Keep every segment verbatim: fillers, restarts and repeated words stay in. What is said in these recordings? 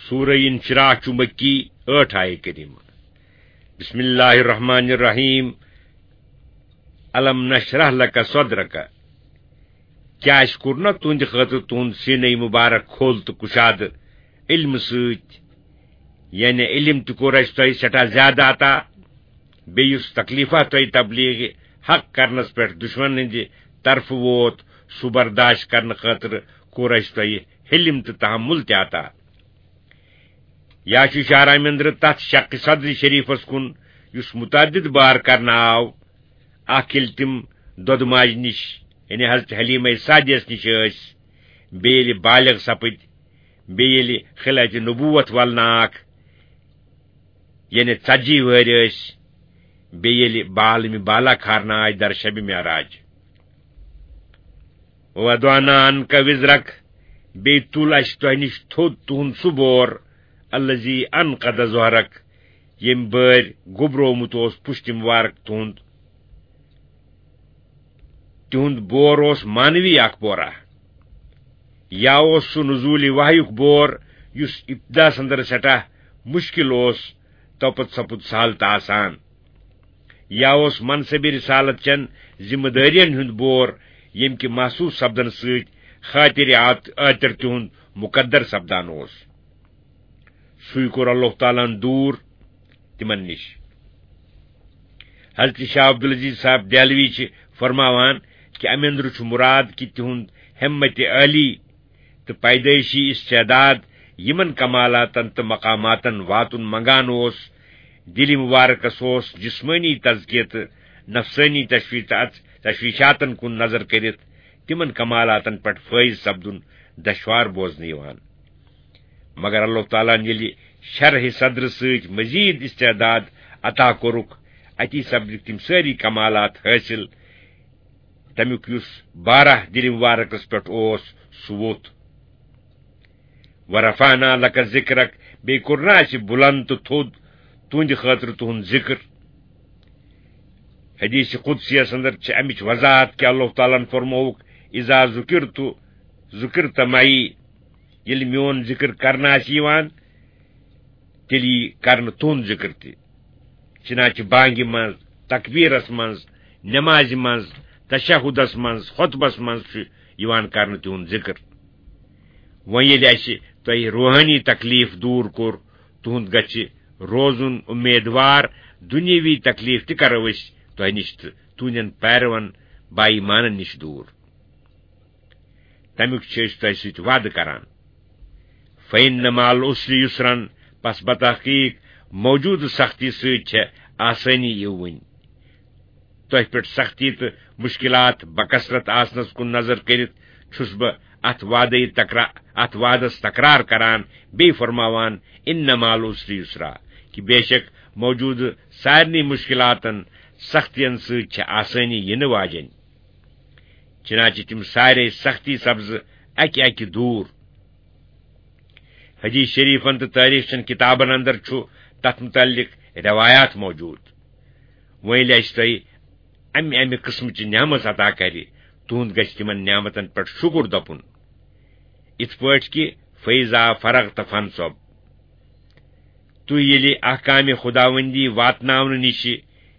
سورہ انشراح چھُ مکی، ٲٹھ آیہِ کریمہ۔ بسم اللہ الرحمن الرحیم۔ الم نشرح لک صدرک۔ کیٛاہ اَسہِ کوٚر نہ تُہنٛدِ خٲطرٕ تُہنٛد سیٖنَے مُبارک کھول تہٕ کُشادٕ علمہٕ سۭتۍ؟ یعنی علم تہِ کوٚر اَسہِ تۄہہِ سٮ۪ٹھاہ زیادٕ عطا۔ بیٚیہِ یُس تکلیفہ تۄہہِ تبلیغ حق کرنس پٮ۪ٹھ دشمن ہٕنٛدِ طرفہٕ ووت، سُہ برداشت کرنہٕ خٲطرٕ کوٚر اَسہِ تۄہہِ حلم تہٕ تحمل تہِ عطا۔ یا چھُ اشارہ امہِ اندرٕ تتھ شق صدر شریفس کُن، یُس متعدد بار کرنہٕ آو۔ اکھ ییٚلہِ تِم دۄدٕ ماجہِ نِش، یعنی حضرت حلیمہ سعدیس نِش ٲسۍ، بیٚیہِ ییٚلہِ بالغ سپٕدۍ، بیٚیہِ ییٚلہِ خلعت نبوت ولناک، یعنی ژتجی وٕہٕرۍ ٲسۍ، بیٚیہِ ییٚلہِ بالمِ بالا کھارنہٕ آے در شبِ معراج۔ وضعنا عنک وزرک، بیٚیہِ تُل اَسہِ تۄہہِ نِش تھوٚد تُہُنٛد سُہ بور، الذی انقض ظہرک، ییٚمۍ بٲرۍ گوٚبرومُت اوس پُشتِ مُبارک تُہُنٛد۔ تِہُنٛد بور اوس معنوی اکھ بورا، یا اوس سُہ نزول وحیُک بور، یُس ابتداس اندر سٮ۪ٹھاہ مشکل اوس، توپتہٕ سپُد سہل تہٕ آسان۔ یا اوس منصبِ رسالت چٮ۪ن ذمہ دٲرین ہُنٛد بور، ییٚمہِ کہِ محسوس سپدن سۭتۍ خاطرِ آت-، آتر تِہُنٛد مقدر سپدان اوس۔ سُے کوٚر اللہ تعالیٰ ہن دوٗر تِمن نِش۔ حضرت شاہ عبدالعزیز صاحب دہلوی چھِ فرماوان کہِ اَمہِ اندرٕ چھُ مُراد کہِ تِہُنٛد ہمت عالی تہٕ پیدٲیشی استعداد یِمن کمالاتن تہٕ مقاماتن واتُن منگان اوس، دِلہِ مُبارکس اوس جسمٲنی تزکیہ تہٕ نفسٲنی تشوی-، تشویشاتن کُن نظر کٔرِتھ تِمن کمالاتن پٮ۪ٹھ فٲیض سپدُن دشوار بوزنہٕ یِوان۔ مگر اللہ تعالیٰ ہن ییٚلہِ شرح صدر سۭتۍ مزید استعداد عطا کوٚرُکھ، اتی سپدِکھ تِم سٲری کمالات حٲصِل۔ تمیُک یُس بارہ دِلہِ مُبارکس پٮ۪ٹھ اوس، سُہ ووٚتھ۔ ورفعنا لک ذکرک، بیٚیہِ کوٚر نہ اَسہِ بُلند تہٕ تھوٚد تُہنٛدِ خٲطرٕ تُہُنٛد ذکر۔ حدیث قدسیس اندر چھِ امِچ وضاحت کہِ اللہ تعالیٰ ہن فرمووُکھ، اذا ذکرت ذکرت معی، ییٚلہِ میون ذکر کرنہٕ آسہِ یِوان، تیٚلہِ یی کرنہٕ تُہُنٛد ذکر تہِ۔ چنانچہ بانگہِ منٛز، تکبیرس منٛز، نمازِ منٛز، تشہدس منٛز، خطبس منٛز چھُ یِوان کرنہٕ تِہُنٛد ذکر۔ وۄنۍ ییٚلہِ اَسہِ تۄہہِ روحٲنی تکلیف دوٗر کوٚر، تُہُنٛد گژھِ روزُن امیدوار، دُنیاوی تکلیف تہِ کرو أسۍ تۄہہِ نِش تہٕ تُہنٛدٮ۪ن پیروَن با ایمانن نِش دوٗر۔ تمیُک چھِ أسۍ تۄہہِ سۭتۍ وعدٕ کران۔ فَإِنَّ مَعَ الْعُسْرِ يُسْرًا، پس بتحقیق موجودٕ سختی سۭتۍ چھےٚ آسٲنی یِوٕنۍ۔ تۄہہِ پٮ۪ٹھ سختی تہٕ مشکلات بکثرت آسنس کُن نظر کٔرِتھ چھُس بہٕ اتھ وعدے تکرا-، اتھ وعدس تکرار کران، بیٚیہِ فرماوان، اِنَّ مَعَ الْعُسْرِ يُسْرًا، کہِ بے شک موجودٕ سارنٕے مشکلاتن، سختین سۭتۍ چھےٚ آسٲنی یِنہٕ واجٮ۪ن۔ چنانچہ تِم سارے سختی سپزٕ اکہِ اکہِ دوٗر۔ حدیث شریفن تہٕ تٲریخ چٮ۪ن کتابن اندر چھُ تتھ متعلق روایات موجود۔ وۄنۍ ییٚلہِ اَسہِ تۄہہِ امہِ امہِ قٕسمٕچہِ نعمت عطا کرِ، تُہُنٛد گژھِ تِمن نعمتن پٮ۪ٹھ شُکر دپُن۔ یِتھ پٲٹھۍ کہِ فیضا فرغت فانصب۔ تُہۍ ییٚلہِ احکامِ خداوندی واتناونہٕ نِشہِ،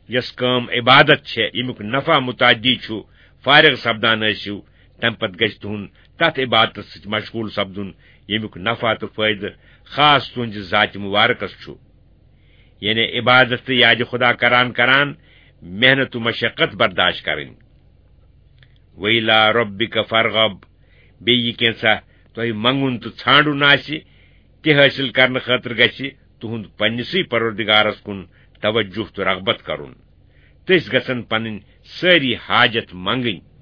یۄس کٲم عبادت چھےٚ، ییٚمیُک نفع متعدی چھُ، فارغ سپدان ٲسِو، تمہِ پتہٕ گژھِ تُہُنٛد تتھ عبادتس سۭتۍ مشغول سپدُن، ییٚمیُک نفع تہٕ فٲیدٕ خاص تُہنٛزِ ذاتِ مبارکس چھُ۔ یعنی عبادت تہٕ یادِ خدا کران کران محنت و مشقت برداشت کرٕنۍ۔ ویلا ربک فرغب، بیٚیہِ یہِ کینٛژھا تۄہہِ منٛگُن تہٕ ژھانٛڈُن آسہِ، تہِ حٲصِل کرنہٕ خٲطرٕ گژھِ تُہُنٛد پننِسٕے پروردگارس کُن توجہ تہٕ رغبت کرُن۔ تٔسۍ گژھن پنٕنۍ سٲری حاجت منٛگٕنۍ۔